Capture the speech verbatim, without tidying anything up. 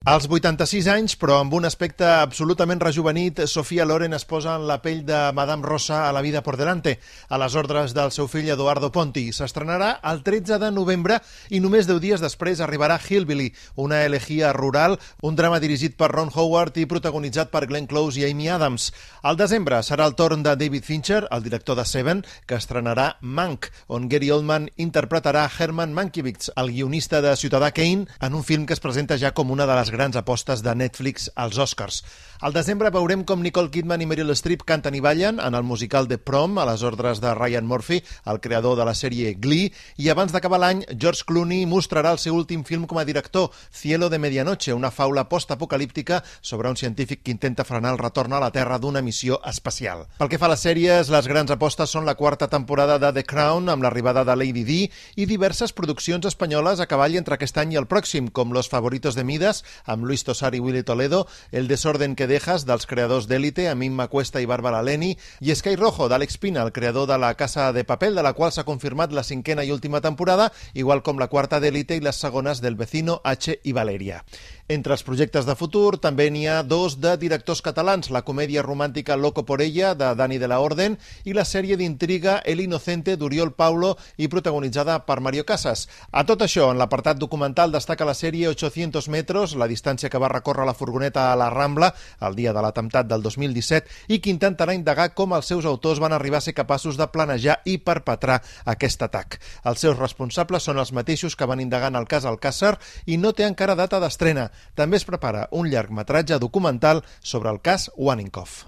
Als vuitanta-sis anys, però amb un aspecte absolutament rejuvenit, Sofia Loren es posa en la pell de Madame Rosa a La vida por delante, a les ordres del seu fill Edoardo Ponti. S'estrenarà el tretze de novembre i només deu dies després arribarà Hillbilly, una elegía rural, un drama dirigit per Ron Howard i protagonitzat per Glenn Close i Amy Adams. Al desembre serà el torn de David Fincher, el director de Seven, que estrenarà Mank, on Gary Oldman interpretarà Herman Mankiewicz, el guionista de Ciutadà Kane, en un film que es presenta ja com una de les grans apostes de Netflix als Oscars. Al desembre veurem com Nicole Kidman i Meryl Streep canten i ballen en el musical The Prom, a les ordres de Ryan Murphy, el creador de la sèrie Glee, i abans d'acabar l'any, George Clooney mostrarà el seu últim film com a director, Cielo de Medianoche, una faula postapocalíptica sobre un científic que intenta frenar el retorn a la Terra d'una missió espacial. Pel que fa a les sèries, les grans apostes són la quarta temporada de The Crown, amb l'arribada de Lady Di, i diverses produccions espanyoles a cavall entre aquest any i el pròxim, com Los Favoritos de Midas, amb Luis Tosar i Willy Toledo, El desorden que dejas, dels creadors d'Élite, amb Imma Cuesta i Bàrbara Leni, i Sky Rojo, d'Àlex Pina, el creador de La Casa de Papel, de la qual s'ha confirmat la cinquena i última temporada, igual com la quarta d'Élite i les segones del Vecino, H i Valeria. Entre els projectes de futur també n'hi ha dos de directors catalans, la comèdia romàntica Loco por ella, de Dani de la Orden, i la sèrie d'intriga El Inocente, d'Oriol Paulo, i protagonitzada per Mario Casas. A tot això, en l'apartat documental destaca la sèrie ochocientos metros, la distància que va recórrer la furgoneta a la Rambla el dia de l'atemptat del dos mil disset, i que intentarà indagar com els seus autors van arribar a ser capaços de planejar i perpetrar aquest atac. Els seus responsables són els mateixos que van indagar en el cas Alcàsser i no té encara data d'estrena. També es prepara un llargmetratge documental sobre el cas Waninkoff.